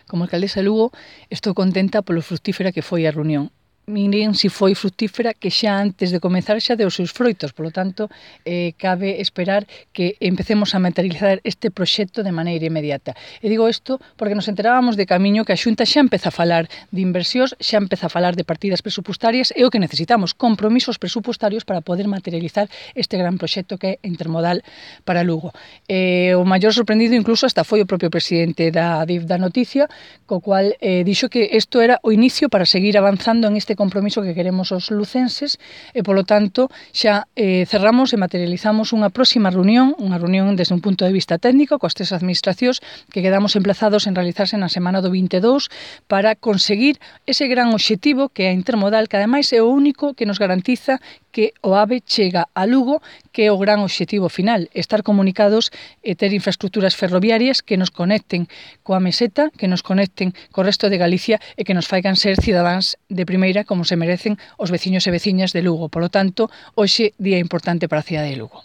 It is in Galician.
Como alcaldesa de Lugo, estou contenta polo fructífera que foi a reunión. Miren se foi fructífera que xa antes de comezar xa deu os seus froitos, polo tanto, cabe esperar que empecemos a materializar este proxecto de maneira inmediata. E digo isto porque nos enterábamos de camiño que a Xunta xa empeza a falar de inversións, xa empeza a falar de partidas presupuestarias e o que necesitamos, compromisos presupuestarios para poder materializar este gran proxecto que é intermodal para Lugo. O maior sorprendido incluso hasta foi o propio presidente da DIF da Noticia, co cual dixo que isto era o inicio para seguir avanzando en este compromiso que queremos os lucenses e, polo tanto, xa cerramos e materializamos unha próxima reunión, unha reunión desde un punto de vista técnico coas tres administracións que quedamos emplazados en realizarse na semana do 22 para conseguir ese gran obxectivo que é a intermodal, que ademais é o único que nos garantiza que o AVE chega a Lugo, que é o gran obxectivo final, estar comunicados e ter infraestructuras ferroviarias que nos conecten coa meseta, que nos conecten co resto de Galicia e que nos faigan ser cidadáns de primeira como se merecen os veciños e veciñas de Lugo. Por lo tanto, hoxe día importante para a cidade de Lugo.